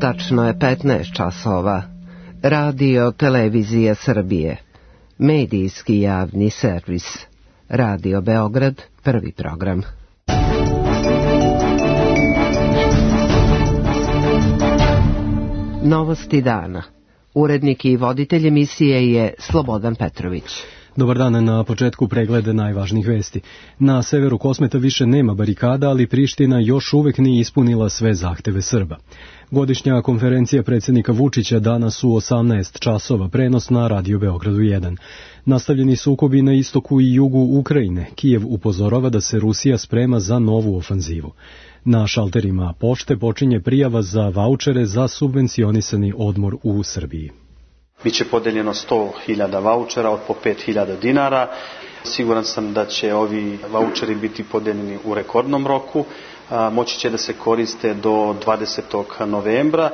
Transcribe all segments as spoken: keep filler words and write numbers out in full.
Tačno je petnaest časova. Radio Televizija Srbije. Medijski javni servis. Radio Beograd, prvi program. Novosti dana. Urednik i voditelj emisije je Slobodan Petrović. Dobar dan, na početku pregleda najvažnijih vesti. Na severu Kosmeta više nema barikada, ali Priština još uvek nije ispunila sve zahteve Srba. Godišnja konferencija predsjednika Vučića danas u osamnaest časova, prenos na Radio Beogradu jedan. Nastavljeni sukobi na istoku i jugu Ukrajine. Kijev upozorava da se Rusija sprema za novu ofanzivu. Na šalterima pošte počinje prijava za vaučere za subvencionisani odmor u Srbiji. Biće podeljeno sto hiljada vaučera od po pet hiljada dinara. Siguran sam da će ovi vaučeri biti podeljeni u rekordnom roku. Moći će da se koriste do dvadesetog novembra.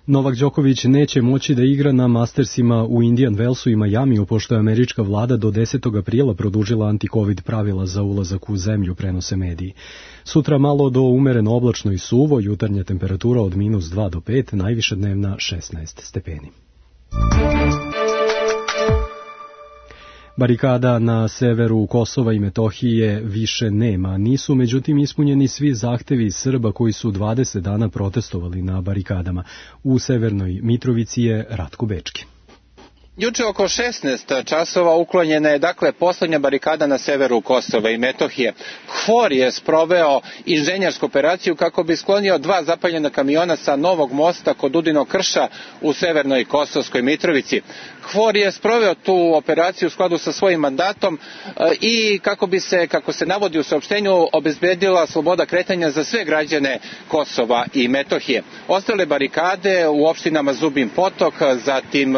Novak Đoković neće moći da igra na Mastersima u Indian Wellsu i Majamiju, pošto je američka vlada do desetog aprila produžila anti-covid pravila za ulazak u zemlju, prenose mediji. Sutra malo do umereno oblačno i suvo, jutarnja temperatura od minus dva do pet, najviša dnevna šesnaest stepeni. Barikada na severu Kosova i Metohije više nema. Nisu međutim ispunjeni svi zahtevi Srba koji su dvadeset dana protestovali na barikadama. U severnoj Mitrovici je Ratko Bečki. Juče oko šesnaest časova uklonjena je dakle posljednja barikada na severu Kosova i Metohije. KFOR je sproveo inženjersku operaciju kako bi sklonio dva zapaljena kamiona sa novog mosta kod Udinog krša u severnoj Kosovskoj Mitrovici. KFOR je sproveo tu operaciju u skladu sa svojim mandatom i kako bi se, kako se navodi u saopštenju, obezbedila sloboda kretanja za sve građane Kosova i Metohije. Ostale barikade u opštinama Zubin Potok, zatim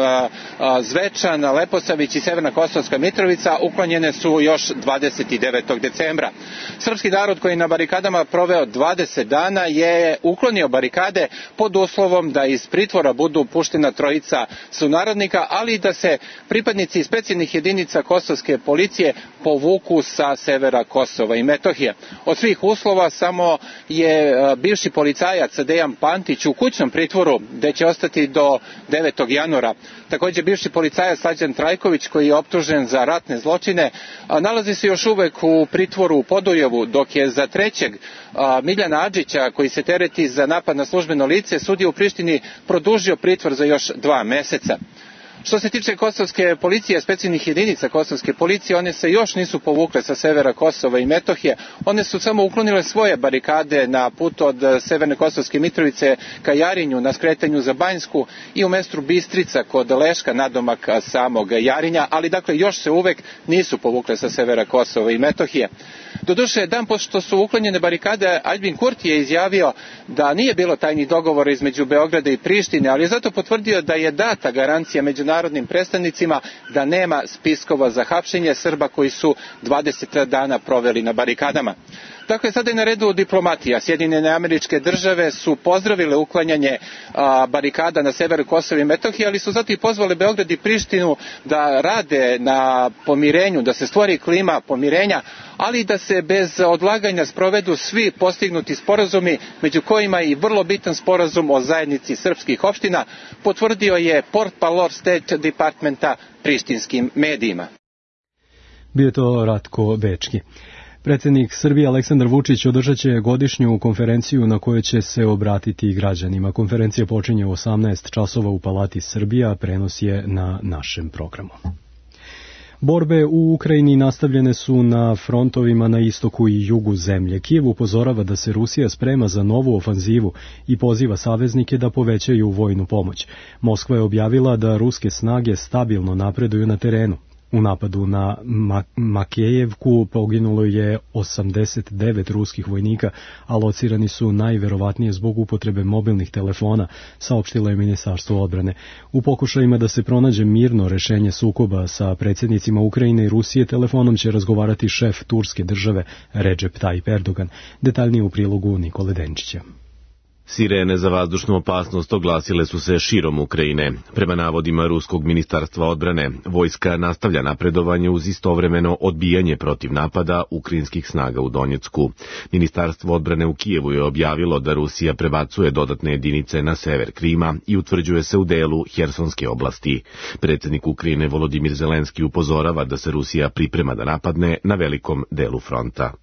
Zvečan, Leposavić i Severna Kosovska Mitrovica uklonjene su još dvadeset devetog decembra. Srpski narod koji je na barikadama proveo dvadeset dana je uklonio barikade pod uslovom da iz pritvora budu puštena trojica sunarodnika, ali i da se pripadnici specijalnih jedinica kosovske policije povuku sa severa Kosova i Metohije. Od svih uslova samo je bivši policajac Dejan Pantić u kućnom pritvoru, gde će ostati do devetog januara. Također bivši policajac Slađan Trajković, koji je optužen za ratne zločine, nalazi se još uvek u pritvoru u Podujevu, dok je za trećeg Miljana Adžića, koji se tereti za napad na službeno lice, sudija u Prištini produžio pritvor za još dva meseca. Što se tiče kosovske policije, specijalnih jedinica kosovske policije, one se još nisu povukle sa severa Kosova i Metohije. One su samo uklonile svoje barikade na putu od severne Kosovske Mitrovice ka Jarinju, na skretanju za Banjsku i u mestu Bistrica kod Leška, nadomak samog Jarinja, ali dakle još se uvek nisu povukle sa severa Kosova i Metohije. Doduše, dan pošto su uklonjene barikade, Aljbin Kurti je izjavio da nije bilo tajnih dogovora između Beograda i Prištine, ali je zato potvrdio da je data garancija međunarodnim predstavnicima da nema spiskova za hapšenje Srba koji su dvadeset dana proveli na barikadama. Dakle, sada je na redu diplomatija. Sjedinjene Američke Države su pozdravile uklanjanje a, barikada na severu Kosova i Metohije, ali su zato i pozvali Beograd i Prištinu da rade na pomirenju, da se stvori klima pomirenja, ali da se bez odlaganja sprovedu svi postignuti sporazumi, među kojima i vrlo bitan sporazum o zajednici srpskih opština, potvrdio je portparol State Departmenta prištinskim medijima. Bio je to Ratko Bečki. Predsjednik Srbije Aleksandar Vučić održat će godišnju konferenciju na kojoj će se obratiti građanima. Konferencija počinje u osamnaest časova u Palati Srbija, prenos je na našem programu. Borbe u Ukrajini nastavljene su na frontovima na istoku i jugu zemlje. Kijev upozorava da se Rusija sprema za novu ofanzivu i poziva saveznike da povećaju vojnu pomoć. Moskva je objavila da ruske snage stabilno napreduju na terenu. U napadu na Makejevku poginulo je osamdeset devet ruskih vojnika, a locirani su najverovatnije zbog upotrebe mobilnih telefona, saopštilo je Ministarstvo odbrane. U pokušajima da se pronađe mirno rešenje sukoba sa predsjednicima Ukrajine i Rusije, telefonom će razgovarati šef turske države Recep Tayyip Erdogan. Detaljnije u prilogu Nikole Denčića. Sirene za vazdušnu opasnost oglasile su se širom Ukrajine. Prema navodima Ruskog ministarstva odbrane, vojska nastavlja napredovanje uz istovremeno odbijanje protiv napada ukrajinskih snaga u Donjecku. Ministarstvo odbrane u Kijevu je objavilo da Rusija prebacuje dodatne jedinice na sever Krima i utvrđuje se u delu Hersonske oblasti. Predsjednik Ukrajine Volodimir Zelenski upozorava da se Rusija priprema da napadne na velikom delu fronta.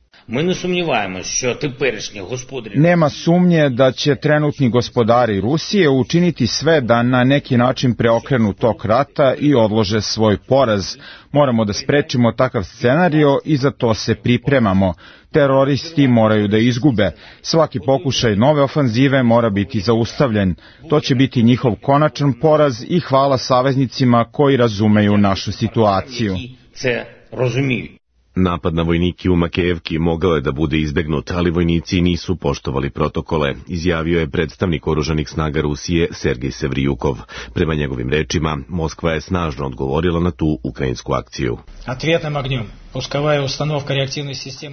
Nema sumnje da će trenutni gospodari Rusije učiniti sve da na neki način preokrenu tok rata i odlože svoj poraz. Moramo da sprečimo takav scenario i za to se pripremamo. Teroristi moraju da izgube. Svaki pokušaj nove ofanzive mora biti zaustavljen. To će biti njihov konačan poraz i hvala saveznicima koji razumeju našu situaciju. Napad na vojnike u Makejevki mogao je da bude izbegnut, ali vojnici nisu poštovali protokole, izjavio je predstavnik oružanih snaga Rusije Sergej Sevrijukov. Prema njegovim rečima, Moskva je snažno odgovorila na tu ukrajinsku akciju.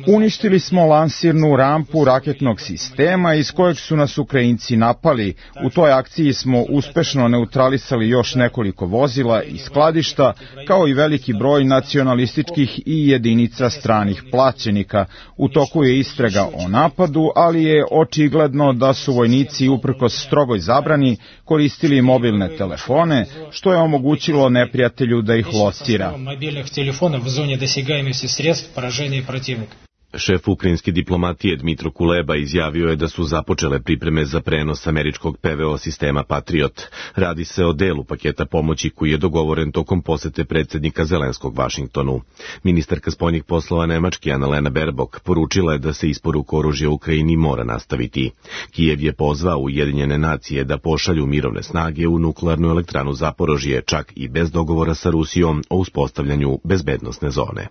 Uništili smo lansirnu rampu raketnog sistema iz kojeg su nas Ukrajinci napali. U toj akciji smo uspešno neutralisali još nekoliko vozila i skladišta, kao i veliki broj nacionalističkih i jedinica stranih plaćenika. U toku je istraga o napadu, ali je očigledno da su vojnici uprkos strogoj zabrani koristili mobilne telefone, što je omogućilo neprijatelju da ih locira. Šef ukrajinske diplomatije Dmitro Kuleba izjavio je da su započele pripreme za prenos američkog P V O sistema Patriot. Radi se o delu paketa pomoći koji je dogovoren tokom posete predsjednika Zelenskog Vašingtonu. Ministarka spoljnih poslova Nemačke Annalena Baerbock poručila je da se isporuka oružja Ukrajini mora nastaviti. Kijev je pozvao Ujedinjene nacije da pošalju mirovne snage u nuklearnu elektranu Zaporožje, čak i bez dogovora sa Rusijom o uspostavljanju bezbednosne zone.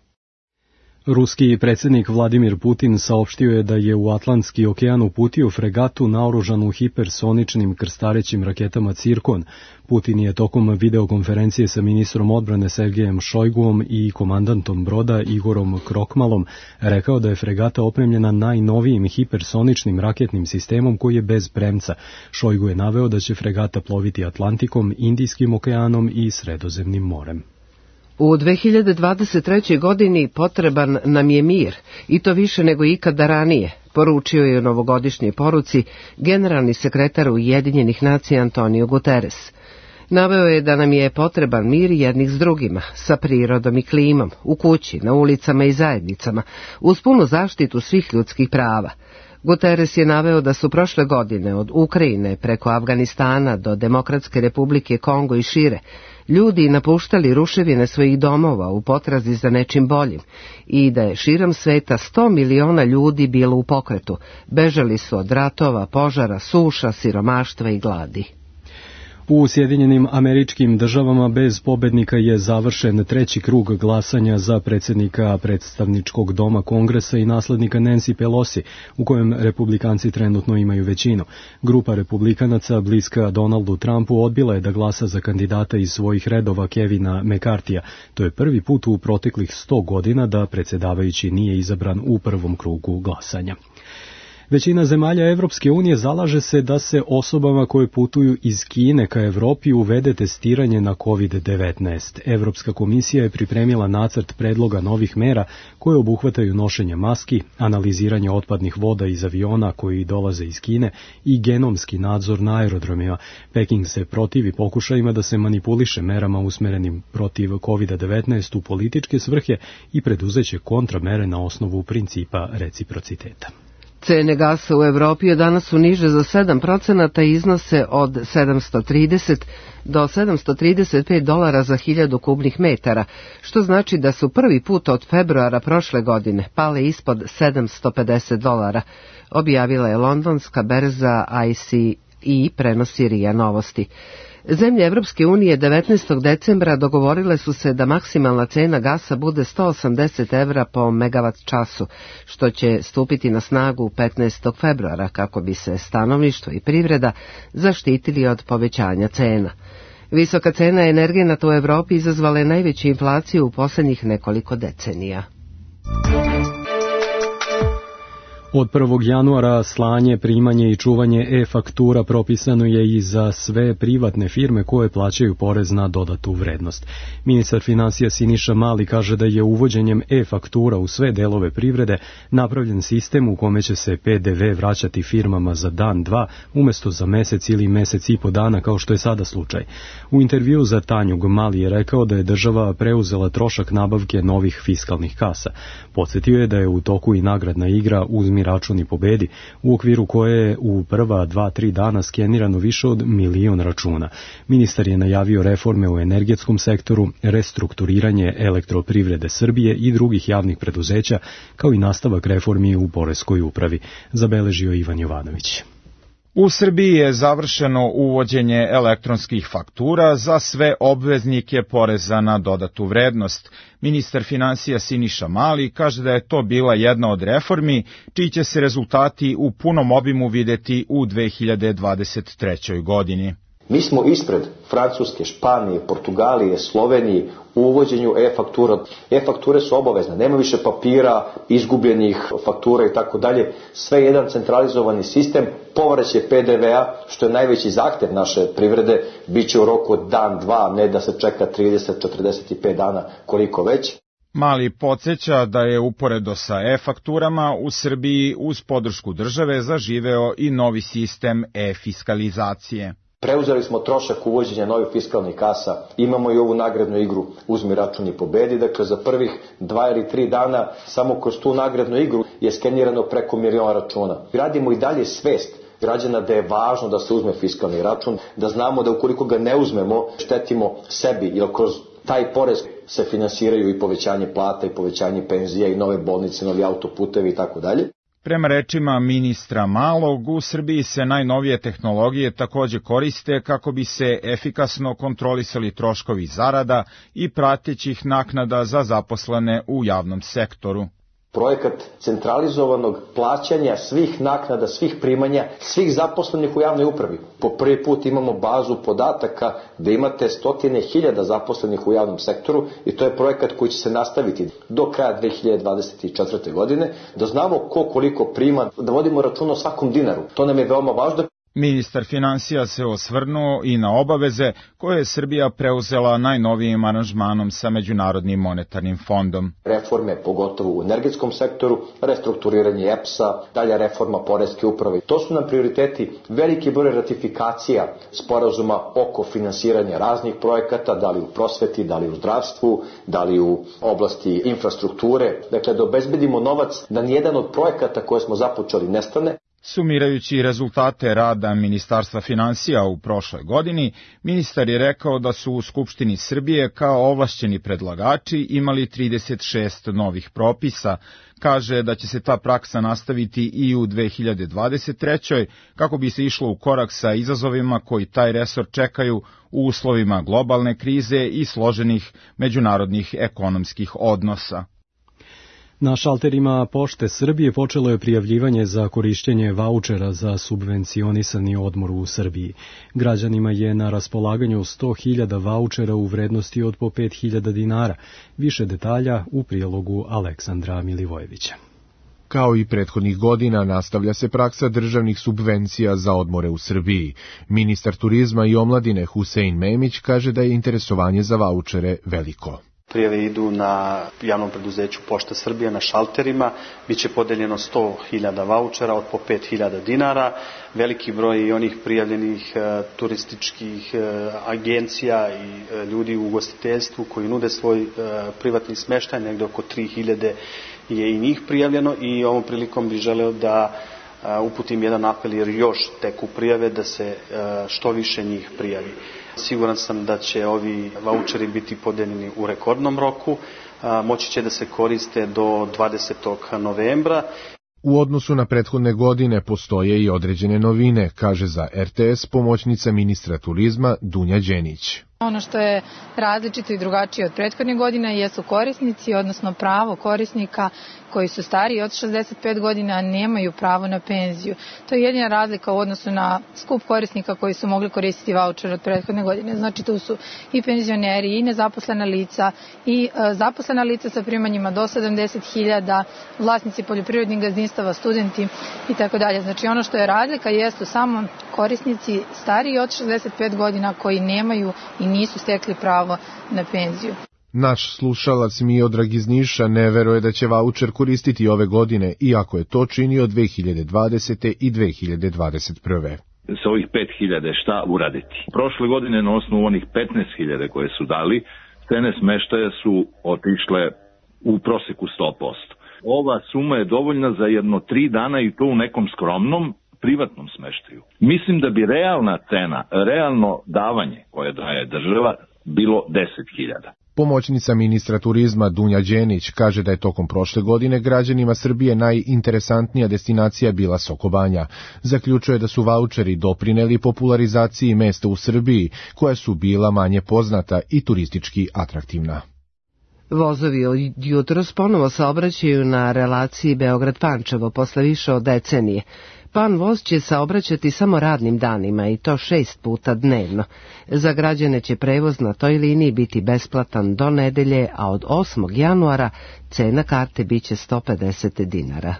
Ruski predsjednik Vladimir Putin saopštio je da je u Atlantski okean uputio fregatu naoružanu hipersoničnim krstarećim raketama Cirkon. Putin je tokom videokonferencije sa ministrom odbrane Sergejem Šojguom i komandantom broda Igorom Krokmalom rekao da je fregata opremljena najnovijim hipersoničnim raketnim sistemom koji je bez premca. Šojgu je naveo da će fregata ploviti Atlantikom, Indijskim okeanom i Sredozemnim morem. U dve hiljade dvadeset trećoj. godini potreban nam je mir, i to više nego ikada ranije, poručio je u novogodišnjoj poruci generalni sekretar Ujedinjenih nacija Antonio Guterres. Naveo je da nam je potreban mir jednih s drugima, sa prirodom i klimom, u kući, na ulicama i zajednicama, uz punu zaštitu svih ljudskih prava. Guterres je naveo da su prošle godine od Ukrajine preko Afganistana do Demokratske republike Kongo i šire ljudi napuštali ruševine svojih domova u potrazi za nečim boljim i da je širom sveta sto miliona ljudi bilo u pokretu. Bežali su od ratova, požara, suša, siromaštva i gladi. U Sjedinjenim Američkim Državama bez pobednika je završen treći krug glasanja za predsjednika predstavničkog doma Kongresa i naslednika Nancy Pelosi, u kojem republikanci trenutno imaju većinu. Grupa republikanaca bliska Donaldu Trumpu odbila je da glasa za kandidata iz svojih redova Kevina McCarthyja. To je prvi put u proteklih sto godina da predsjedavajući nije izabran u prvom krugu glasanja. Većina zemalja Evropske unije zalaže se da se osobama koje putuju iz Kine ka Evropi uvede testiranje na kovid devetnaest. Evropska komisija je pripremila nacrt predloga novih mera koje obuhvataju nošenje maski, analiziranje otpadnih voda iz aviona koji dolaze iz Kine i genomski nadzor na aerodromima. Peking se protivi pokušajima da se manipuliše merama usmerenim protiv kovid devetnaest u političke svrhe i preduzeće kontramere na osnovu principa reciprociteta. Cene gasa u Evropi od danas su niže za sedam procenata i iznose od sedamsto trideset do sedamsto trideset pet dolara za hiljadu kubnih metara, što znači da su prvi put od februara prošle godine pale ispod sedamsto pedeset dolara, objavila je londonska berza I C E, prenosi R I A Novosti. Zemlje Evropske unije devetnaestog decembra dogovorile su se da maksimalna cena gasa bude sto osamdeset evra po megavat času, što će stupiti na snagu petnaestog februara kako bi se stanovništvo i privreda zaštitili od povećanja cena. Visoka cena energenata u Evropi izazvala je najveću inflaciju u posljednjih nekoliko decenija. Od prvog januara slanje, primanje i čuvanje e-faktura propisano je i za sve privatne firme koje plaćaju porez na dodatu vrednost. Ministar finansija Siniša Mali kaže da je uvođenjem e-faktura u sve delove privrede napravljen sistem u kome će se pe de ve vraćati firmama za dan, dva, umesto za mesec ili mesec i po dana kao što je sada slučaj. U intervju za Tanjug Mali je rekao da je država preuzela trošak nabavke novih fiskalnih kasa. Podsjetio je da je u toku i nagradna igra Uzmi račun i pobedi, u okviru koje je u prva dva, tri dana skenirano više od milion računa. Ministar je najavio reforme u energetskom sektoru, restrukturiranje Elektroprivrede Srbije i drugih javnih preduzeća, kao i nastavak reformi u poreskoj upravi, zabeležio Ivan Jovanović. U Srbiji je završeno uvođenje elektronskih faktura za sve obveznike poreza na dodatu vrednost. Ministar finansija Siniša Mali kaže da je to bila jedna od reformi, čiji će se rezultati u punom obimu videti u dve hiljade dvadeset trećoj. godini. Mi smo ispred Francuske, Španije, Portugalije, Slovenije u uvođenju e-faktura. E-fakture su obavezne, nema više papira, izgubljenih faktura i tako dalje. Sve je jedan centralizovani sistem, povraćaj pe de ve-a, što je najveći zahtev naše privrede, bit će u roku od dan, dva, ne da se čeka trideset, četrdeset pet dana, koliko već. Mali podsjeća da je uporedo sa e-fakturama u Srbiji uz podršku države zaživeo i novi sistem e-fiskalizacije. Preuzeli smo trošak uvođenja novih fiskalnih kasa, imamo i ovu nagradnu igru Uzmi račun i pobedi, dakle za prvih dva ili tri dana samo kroz tu nagradnu igru je skenirano preko miliona računa. Gradimo i dalje svest građana da je važno da se uzme fiskalni račun, da znamo da ukoliko ga ne uzmemo štetimo sebi, jer kroz taj porez se finansiraju i povećanje plata i povećanje penzija i nove bolnice, novi autoputevi i tako dalje. Prema rečima ministra Malog, u Srbiji se najnovije tehnologije takođe koriste kako bi se efikasno kontrolisali troškovi zarada i pratećih naknada za zaposlene u javnom sektoru. Projekat centralizovanog plaćanja svih naknada, svih primanja, svih zaposlenih u javnoj upravi. Po prvi put imamo bazu podataka da imate stotine hiljada zaposlenih u javnom sektoru i to je projekat koji će se nastaviti do kraja dve hiljade dvadeset četvrte. godine, da znamo ko koliko prima, da vodimo računa o svakom dinaru. To nam je veoma važno. Ministar finansija se osvrnuo i na obaveze koje je Srbija preuzela najnovijim aranžmanom sa Međunarodnim monetarnim fondom. Reforme, pogotovo u energetskom sektoru, restrukturiranje e pe es-a, dalja reforma poreske uprave. To su nam prioriteti, veliki broj ratifikacija sporazuma oko finansiranja raznih projekata, da li u prosveti, da li u zdravstvu, da li u oblasti infrastrukture. Dakle, da obezbedimo novac da nijedan od projekata koje smo započeli nestane. Sumirajući rezultate rada Ministarstva finansija u prošloj godini, ministar je rekao da su u Skupštini Srbije kao ovlašćeni predlagači imali trideset šest novih propisa. Kaže da će se ta praksa nastaviti i u dve hiljade dvadeset trećoj. kako bi se išlo u korak sa izazovima koji taj resor čekaju u uslovima globalne krize i složenih međunarodnih ekonomskih odnosa. Na šalterima Pošte Srbije počelo je prijavljivanje za korišćenje vaučera za subvencionisani odmor u Srbiji. Građanima je na raspolaganju sto hiljada vaučera u vrednosti od po pet hiljada dinara. Više detalja u prilogu Aleksandra Milivojevića. Kao i prethodnih godina, nastavlja se praksa državnih subvencija za odmore u Srbiji. Ministar turizma i omladine Husein Memić kaže da je interesovanje za vaučere veliko. Prijave idu na javnom preduzeću Pošta Srbije na šalterima, biće podeljeno sto hiljada vaučera od po pet hiljada dinara, veliki broj i onih prijavljenih e, turističkih e, agencija i e, ljudi u ugostiteljstvu koji nude svoj e, privatni smeštaj, negde oko tri hiljade je i njih prijavljeno i ovom prilikom bih želeo da e, uputim jedan apel jer još teku prijave da se e, što više njih prijavi. Siguran sam da će ovi vaučeri biti podeljeni u rekordnom roku, moći će da se koriste do dvadesetog novembra. U odnosu na prethodne godine postoje i određene novine, kaže za er te es pomoćnica ministra turizma Dunja Đenić. Ono što je različito i drugačije od prethodnih godina jesu korisnici, odnosno pravo korisnika koji su stariji od šezdeset pet godina nemaju pravo na penziju. To je jedina razlika u odnosu na skup korisnika koji su mogli koristiti vaučer od prethodne godine. Znači tu su i penzioneri, i nezaposlena lica, i e, zaposlena lica sa primanjima do sedamdeset hiljada, vlasnici poljoprivrednih gazdinstava, studenti i tako dalje. Znači ono što je razlika jesu samo korisnici stariji od šezdeset pet godina koji nemaju i nisu stekli pravo na penziju. Naš slušalac Miodrag iz Niša ne veruje da će vaučer koristiti ove godine, iako je to činio dve hiljade dvadesete. i dve hiljade dvadeset prve. Sa ovih pet hiljada šta uraditi? Prošle godine na osnovu onih petnaest hiljada koje su dali, cene smeštaja su otišle u proseku sto posto. Ova suma je dovoljna za jedno tri dana i to u nekom skromnom privatnom smeštaju. Mislim da bi realna cena, realno davanje koje daje država bilo deset hiljada. Pomoćnica ministra turizma Dunja Đenić kaže da je tokom prošle godine građanima Srbije najinteresantnija destinacija bila Sokobanja. Zaključuje da su vaučeri doprineli popularizaciji mesta u Srbiji, koja su bila manje poznata i turistički atraktivna. Vozovi od jutros ponovo saobraćaju na relaciji Beograd-Pančevo posle više od decenije. Pan voz će saobraćati samo radnim danima i to šest puta dnevno. Za građane će prevoz na toj liniji biti besplatan do nedelje, a od osmog januara cena karte biće sto pedeset dinara.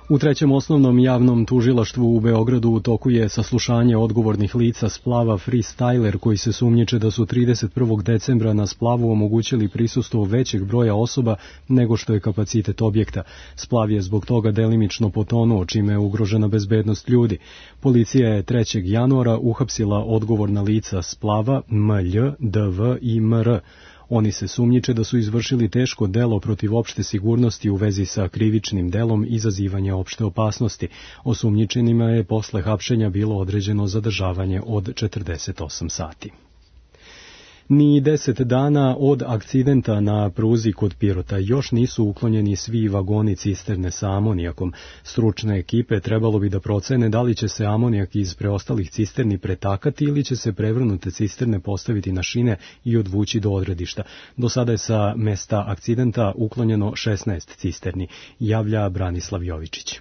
U trećem osnovnom javnom tužilaštvu u Beogradu u toku je saslušanje odgovornih lica splava Freestyler, koji se sumnjiče da su trideset prvog decembra na splavu omogućili prisustvo većeg broja osoba nego što je kapacitet objekta. Splav je zbog toga delimično potonuo, čime je ugrožena bezbednost ljudi. Policija je trećeg januara uhapsila odgovorna lica splava M L, D V i M R. Oni se sumnjiče da su izvršili teško delo protiv opšte sigurnosti u vezi sa krivičnim delom izazivanja opšte opasnosti. Osumnjičenima je posle hapšenja bilo određeno zadržavanje od četrdeset osam sati. Ni deset dana od akcidenta na pruzi kod Pirota još nisu uklonjeni svi vagoni cisterne sa amonijakom. Stručne ekipe trebalo bi da procene da li će se amonijak iz preostalih cisterni pretakati ili će se prevrnute cisterne postaviti na šine i odvući do odredišta. Do sada je sa mesta akcidenta uklonjeno šesnaest cisterni, javlja Branislav Jovičić.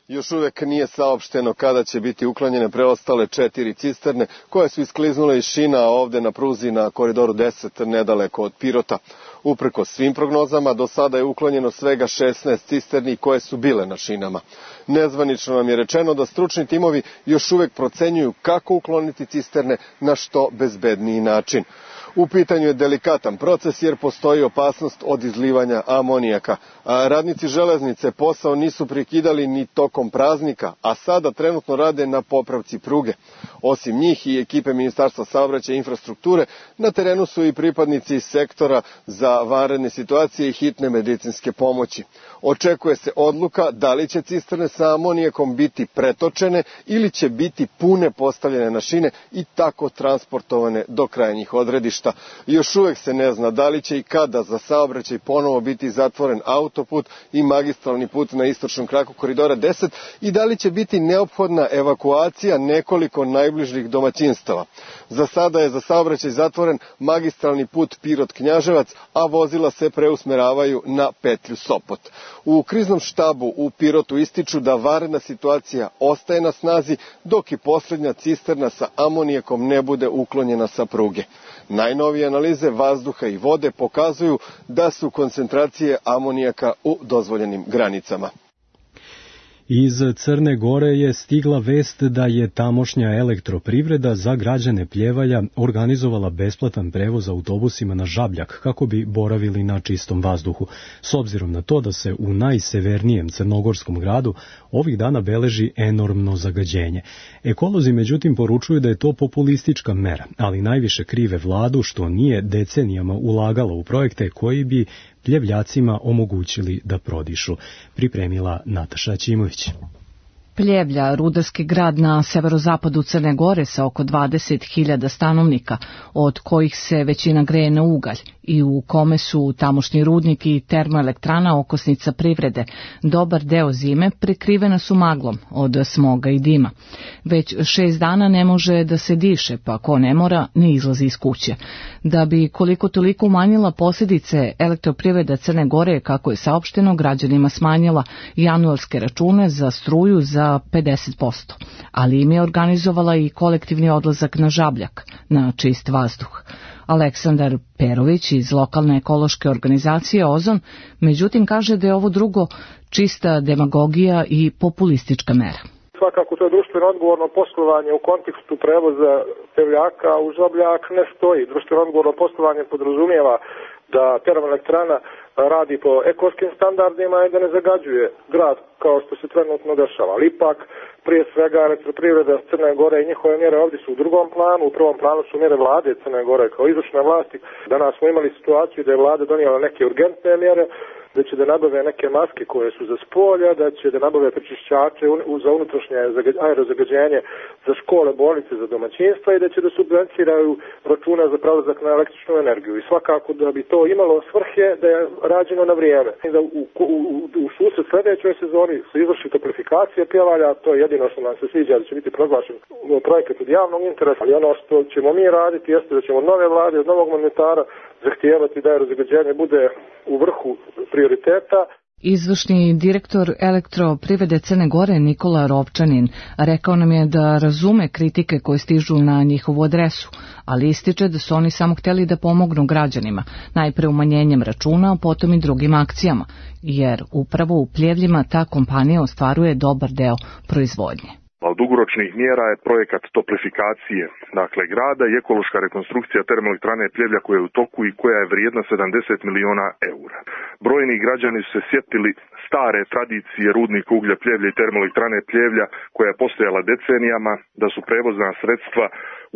Još uvek nije saopšteno kada će biti uklonjene preostale četiri cisterne koje su iskliznule iz šina ovde na pruzi na koridoru deset nedaleko od Pirota. Uprkos svim prognozama, do sada je uklonjeno svega šesnaest cisterni koje su bile na šinama. Nezvanično nam je rečeno da stručni timovi još uvek procenjuju kako ukloniti cisterne na što bezbedniji način. U pitanju je delikatan proces jer postoji opasnost od izlivanja amonijaka. A radnici železnice posao nisu prekidali ni tokom praznika, a sada trenutno rade na popravci pruge. Osim njih i ekipe Ministarstva saobraćaja i infrastrukture, na terenu su i pripadnici sektora za vanredne situacije i hitne medicinske pomoći. Očekuje se odluka da li će cisterne sa amonijakom biti pretočene ili će biti pune postavljene na šine i tako transportovane do krajnjih odredišta. Još uvek se ne zna da li će i kada za saobraćaj ponovo biti zatvoren autoput i magistralni put na istočnom kraku koridora deset i da li će biti neophodna evakuacija nekoliko najbližih domaćinstava. Za sada je za saobraćaj zatvoren magistralni put Pirot-Knjaževac, a vozila se preusmeravaju na petlju Sopot. U kriznom štabu u Pirotu ističu da vanredna situacija ostaje na snazi dok i posljednja cisterna sa amonijakom ne bude uklonjena sa pruge. Najnovije analize vazduha i vode pokazuju da su koncentracije amonijaka u dozvoljenim granicama. Iz Crne Gore je stigla vest da je tamošnja elektroprivreda za građane Pljevalja organizovala besplatan prevoz autobusima na Žabljak kako bi boravili na čistom vazduhu. S obzirom na to da se u najsevernijem crnogorskom gradu ovih dana beleži enormno zagađenje. Ekolozi međutim poručuju da je to populistička mera, ali najviše krive vladu što nije decenijama ulagala u projekte koji bi Pljevljacima omogućili da prodišu, pripremila Nataša Ćimović. Pljevlja, rudarski grad na severozapadu Crne Gore sa oko dvadeset hiljada stanovnika, od kojih se većina greje na ugalj, i u kome su tamošnji rudnik i termoelektrana okosnica privrede. Dobar deo zime prekrivena su maglom od smoga i dima. Već šest dana ne može da se diše, pa ko ne mora, ne izlazi iz kuće. Da bi koliko toliko umanjila posljedice, Elektroprivreda Crne Gore, kako je saopšteno, građanima smanjila januarske račune za struju za pedeset posto, ali im je organizovala i kolektivni odlazak na Žabljak, na čist vazduh. Aleksandar Perović iz lokalne ekološke organizacije Ozon, međutim, kaže da je ovo drugo čista demagogija i populistička mera. Svakako to je društveno odgovorno poslovanje u kontekstu prevoza pevljaka u Žabljak ne stoji. Društveno odgovorno poslovanje podrazumijeva da termoelektrana radi po ekološkim standardima i da ne zagađuje grad kao što se trenutno dešava. Ali ipak, prije svega, Elektroprivreda Crne Gore i njihove mjere ovdje su u drugom planu. U prvom planu su mjere vlade Crne Gore kao izvršne vlasti. Danas smo imali situaciju da je vlada donijela neke urgentne mjere, da će da nabave neke maske koje su za spolja, da će da nabave prečišćače za unutrašnje aerozagađenje za škole, bolnice, za domaćinstva i da će da subvencioniraju račune za prelazak na električnu energiju. I svakako da bi to imalo svrhe da je rađeno na vrijeme. I da u, u, u susret sljedećoj sezoni se izvrši toplifikacija pjevalja, to je jedino što nam se sviđa, da će biti proglašen projekat od javnog interesa. Ali ono što ćemo mi raditi jeste da ćemo od nove vlade, od novog mandatara zahtijevati da aerozagađenje bude u vrhu prioriteta. Izvršni direktor Elektroprivrede Crne Gore Nikola Rovčanin rekao nam je da razume kritike koje stižu na njihovu adresu, ali ističe da su oni samo htjeli da pomognu građanima, najpre umanjenjem računa, a potom i drugim akcijama, jer upravo u Pljevljima ta kompanija ostvaruje dobar deo proizvodnje. Od dugoročnih mjera je projekat toplifikacije, dakle grada i ekološka rekonstrukcija termoelektrane Pljevlja koja je u toku i koja je vrijedna sedamdeset miliona eura. Brojni građani su se sjetili stare tradicije rudnika uglja Pljevlja i termoelektrane Pljevlja koja je postojala decenijama, da su prevozna sredstva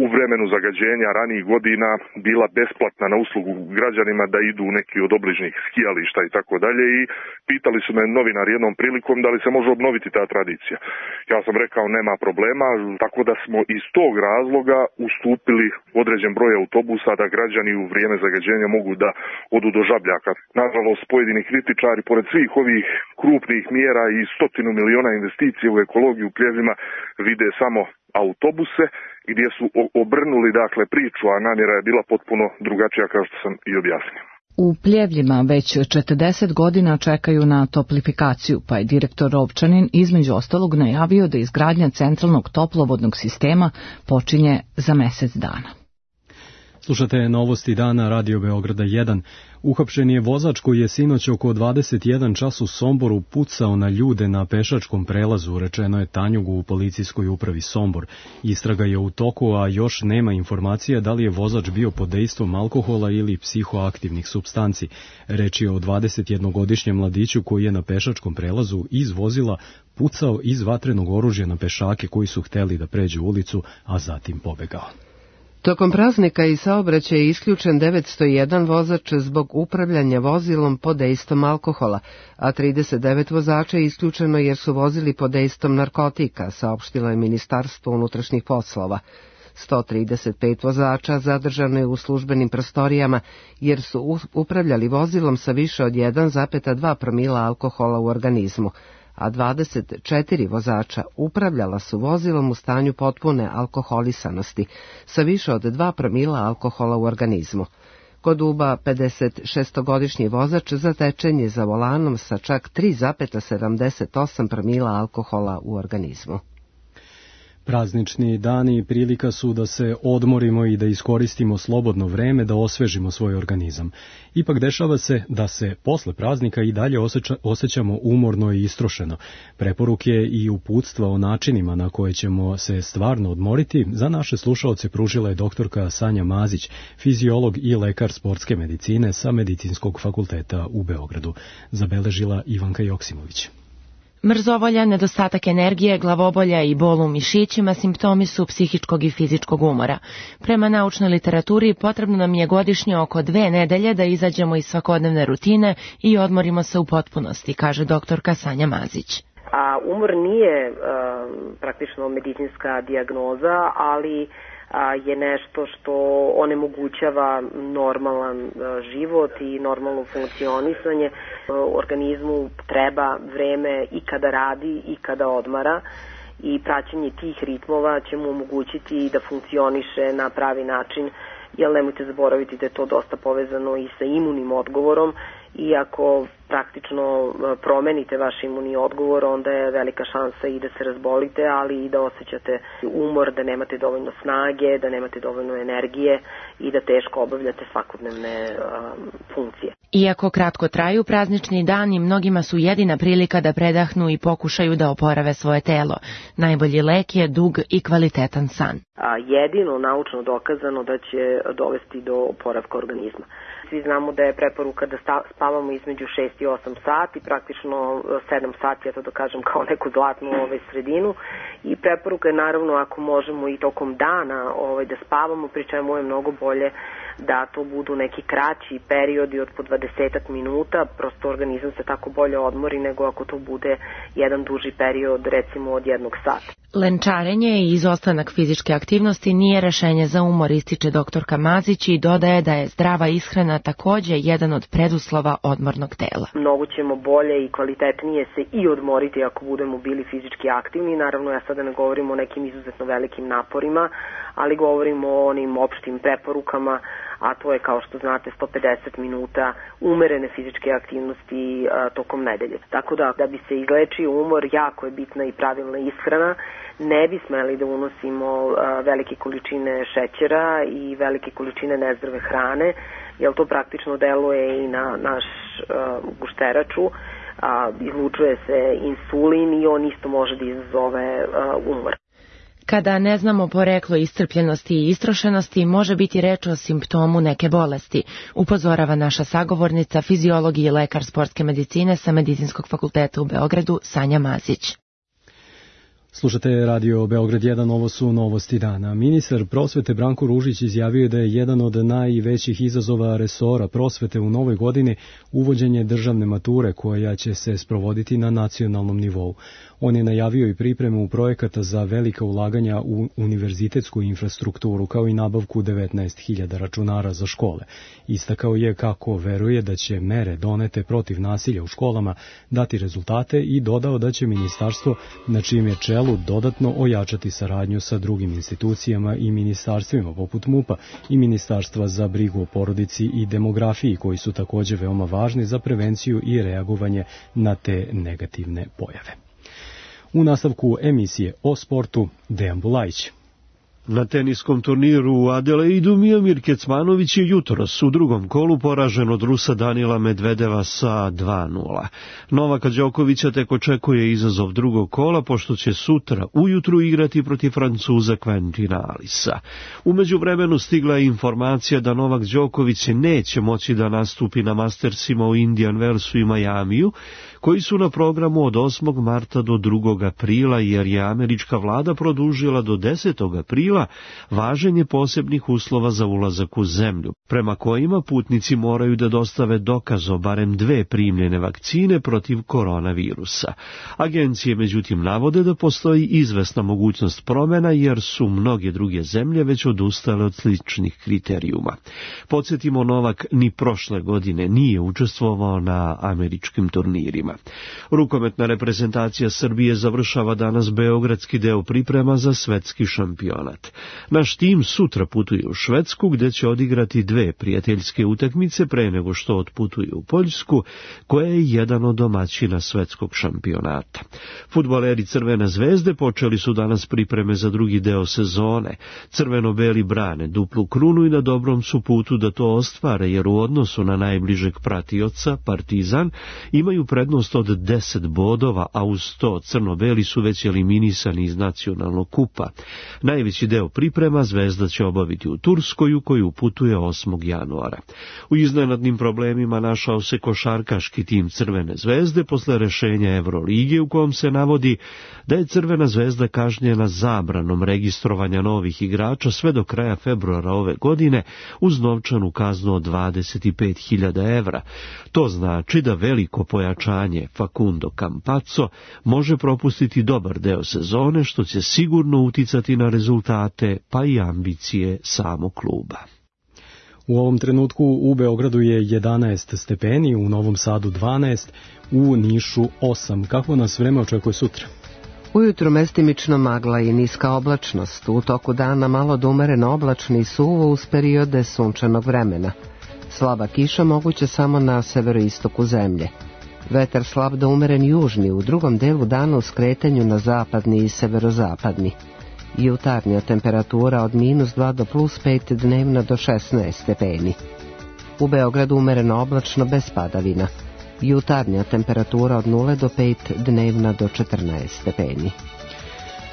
u vremenu zagađenja ranijih godina bila besplatna na uslugu građanima da idu u neki od obližnjih skijališta i tako dalje i pitali su me novinari jednom prilikom da li se može obnoviti ta tradicija. Ja sam rekao nema problema, tako da smo iz tog razloga ustupili određen broj autobusa da građani u vrijeme zagađenja mogu da odu do Žabljaka. Nažalost, pojedini kritičari, pored svih ovih krupnih mjera i stotinu miliona investicije u ekologiju u Pljevljima, vide samo autobuse gdje su obrnuli dakle priču, a namjera je bila potpuno drugačija kao što sam i objasnio. U Pljevljima već četrdeset godina čekaju na toplifikaciju, pa je direktor Rovčanin između ostalog najavio da izgradnja centralnog toplovodnog sistema počinje za mjesec dana. Slušate novosti dana Radio Beograda jedan. Uhapšen je vozač koji je sinoć oko dvadeset jedan čas u Somboru pucao na ljude na pešačkom prelazu, rečeno je Tanjugu u policijskoj upravi Sombor. Istraga je u toku, a još nema informacija da li je vozač bio pod dejstvom alkohola ili psihoaktivnih supstanci. Reč je o dvadesetjednogodišnjem mladiću koji je na pešačkom prelazu iz vozila pucao iz vatrenog oružja na pešake koji su hteli da pređu ulicu, a zatim pobegao. Tokom praznika i saobraćaja je isključen devetsto jedan vozač zbog upravljanja vozilom pod dejstvom alkohola, a trideset devet vozača je isključeno jer su vozili pod dejstvom narkotika, saopštilo je Ministarstvo unutrašnjih poslova. sto trideset pet vozača zadržano je u službenim prostorijama jer su upravljali vozilom sa više od jedan zarez dva promila alkohola u organizmu, a dvadeset četiri vozača upravljala su vozilom u stanju potpune alkoholisanosti sa više od dva promila alkohola u organizmu. Kod Uba pedesetšestogodišnji vozač zatečen je za volanom sa čak tri zarez sedamdeset osam promila alkohola u organizmu. Praznični dani prilika su da se odmorimo i da iskoristimo slobodno vreme da osvežimo svoj organizam. Ipak dešava se da se posle praznika i dalje osjeća, osjećamo umorno i istrošeno. Preporuke i uputstva o načinima na koje ćemo se stvarno odmoriti za naše slušaoce pružila je doktorka Sanja Mazić, fiziolog i lekar sportske medicine sa Medicinskog fakulteta u Beogradu. Zabeležila Ivanka Joksimović. Mrzovolja, nedostatak energije, glavobolja i bol u mišićima simptomi su psihičkog i fizičkog umora. Prema naučnoj literaturi potrebno nam je godišnje oko dve nedelje da izađemo iz svakodnevne rutine i odmorimo se u potpunosti, kaže doktorka Sanja Mazić. A umor nije uh, praktično medicinska dijagnoza, ali je nešto što onemogućava normalan život i normalno funkcionisanje. Organizmu treba vreme i kada radi i kada odmara i praćenje tih ritmova će mu omogućiti da funkcioniše na pravi način, jer nemojte zaboraviti da je to dosta povezano i sa imunim odgovorom i ako praktično promenite vaš imunni odgovor, onda je velika šansa i da se razbolite, ali i da osjećate umor, da nemate dovoljno snage, da nemate dovoljno energije i da teško obavljate svakodnevne um, funkcije. Iako kratko traju praznični dani, mnogima su jedina prilika da predahnu i pokušaju da oporave svoje telo. Najbolji lek je dug i kvalitetan san. A jedino naučno dokazano da će dovesti do oporavka organizma. Svi znamo da je preporuka da spavamo između šest i osam sati, praktično sedam sati, ja to da kažem kao neku zlatnu ovaj, sredinu. I preporuka je naravno ako možemo i tokom dana ovaj, da spavamo, pri čemu je mnogo bolje da to budu neki kraći periodi od po dvadesetak minuta, prosto organizam se tako bolje odmori nego ako to bude jedan duži period, recimo od jednog sata. Lenčarenje i izostanak fizičke aktivnosti nije rešenje za umor, ističe doktorka Mazić i dodaje da je zdrava ishrana takođe jedan od preduslova odmornog tela. Mnogo ćemo bolje i kvalitetnije se i odmoriti ako budemo bili fizički aktivni. Naravno, ja sada ne govorim o nekim izuzetno velikim naporima, ali govorimo o onim opštim preporukama, a to je, kao što znate, sto pedeset minuta umerene fizičke aktivnosti a, tokom nedelje. Tako da, da bi se izlečio umor, jako je bitna i pravilna ishrana. Ne bi smeli da unosimo a, velike količine šećera i velike količine nezdrave hrane, jer to praktično deluje i na naš a, gušteraču. A, izlučuje se insulin i on isto može da izazove a, umor. Kada ne znamo poreklo iscrpljenosti i istrošenosti, može biti reč o simptomu neke bolesti, upozorava naša sagovornica, fiziolog i lekar sportske medicine sa Medicinskog fakulteta u Beogradu, Sanja Mazić. Slušate Radio Beograd jedan, ovo su novosti dana. Ministar prosvete Branko Ružić izjavio je da je jedan od najvećih izazova resora prosvete u novoj godini uvođenje državne mature koja će se sprovoditi na nacionalnom nivou. On je najavio i pripremu projekata za velika ulaganja u univerzitetsku infrastrukturu kao i nabavku devetnaest hiljada računara za škole. Istakao je kako veruje da će mere donete protiv nasilja u školama dati rezultate i dodao da će ministarstvo na čijem je čelu dodatno ojačati saradnju sa drugim institucijama i ministarstvima poput MUP-a i Ministarstva za brigu o porodici i demografiji koji su takođe veoma važni za prevenciju i reagovanje na te negativne pojave. U nastavku emisije o sportu Dejan Bulajić. Na teniskom turniru u Adelaidu Miomir Kecmanović je jutros u drugom kolu poražen od Rusa Danila Medvedeva sa dva nula. Novaka Đokovića tek očekuje izazov drugog kola, pošto će sutra ujutru igrati protiv Francuza Quentina Alisa. U međuvremenu stigla je informacija da Novak Đoković neće moći da nastupi na Mastersima u Indian Wellsu i Majamiju, koji su na programu od osmog marta do drugog aprila, jer je američka vlada produžila do desetog aprila važenje posebnih uslova za ulazak u zemlju, prema kojima putnici moraju da dostave dokaz o barem dve primljene vakcine protiv koronavirusa. Agencije međutim navode da postoji izvesna mogućnost promena, jer su mnoge druge zemlje već odustale od sličnih kriterijuma. Podsjetimo, Novak ni prošle godine nije učestvovao na američkim turnirima. Rukometna reprezentacija Srbije završava danas beogradski deo priprema za svetski šampionat. Naš tim sutra putuje u Švedsku, gde će odigrati dve prijateljske utakmice pre nego što otputuje u Poljsku, koja je jedan od domaćina svetskog šampionata. Fudbaleri Crvene zvezde počeli su danas pripreme za drugi deo sezone. Crveno-beli brane duplu krunu i na dobrom su putu da to ostvare, jer u odnosu na najbližeg pratioca, Partizan, imaju prednost od deset bodova, a uz to crno-beli su već eliminisani iz nacionalnog kupa. Najveći deo priprema Zvezda će obaviti u Turskoj, u koju putuje osmog januara. U iznenadnim problemima našao se košarkaški tim Crvene zvezde posle rešenja Evrolige, u kojem se navodi da je Crvena zvezda kažnjena zabranom registrovanja novih igrača sve do kraja februara ove godine uz novčanu kaznu od dvadeset pet hiljada evra. To znači da veliko pojačanje osiguranje Facundo Campazzo može propustiti dobar deo sezone, što će sigurno uticati na rezultate pa i ambicije samog kluba. U ovom trenutku u Beogradu je jedanaest stepeni, u Novom Sadu dvanaest, u Nišu osam. Kako nas vreme očekuje sutra? Ujutro mestimično magla i niska oblačnost, u toku dana malo do umereno oblačni i suvo uz periode sunčanog vremena. Slaba kiša moguće samo na severoistoku zemlje. Vetar slab do umeren južni, u drugom delu dana u skretanju na zapadni i severozapadni. Jutarnja temperatura od minus dva do plus pet, dnevna do šesnaest stepeni. U Beogradu umereno oblačno bez padavina. Jutarnja temperatura od nula do pet, dnevna do četrnaest stepeni.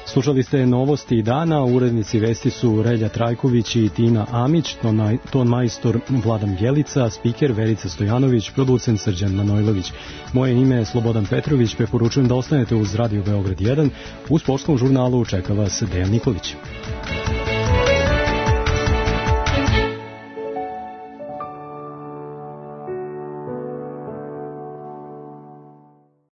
Slušali ste novosti dana, urednici vesti su Relja Trajković i Tina Amić, ton, ton majstor Vladan Bjelica, spiker Verica Stojanović, producent Srđan Manojlović. Moje ime je Slobodan Petrović, preporučujem da ostanete uz Radio Beograd jedan, u sportskom žurnalu čeka vas Dejan Nikolić.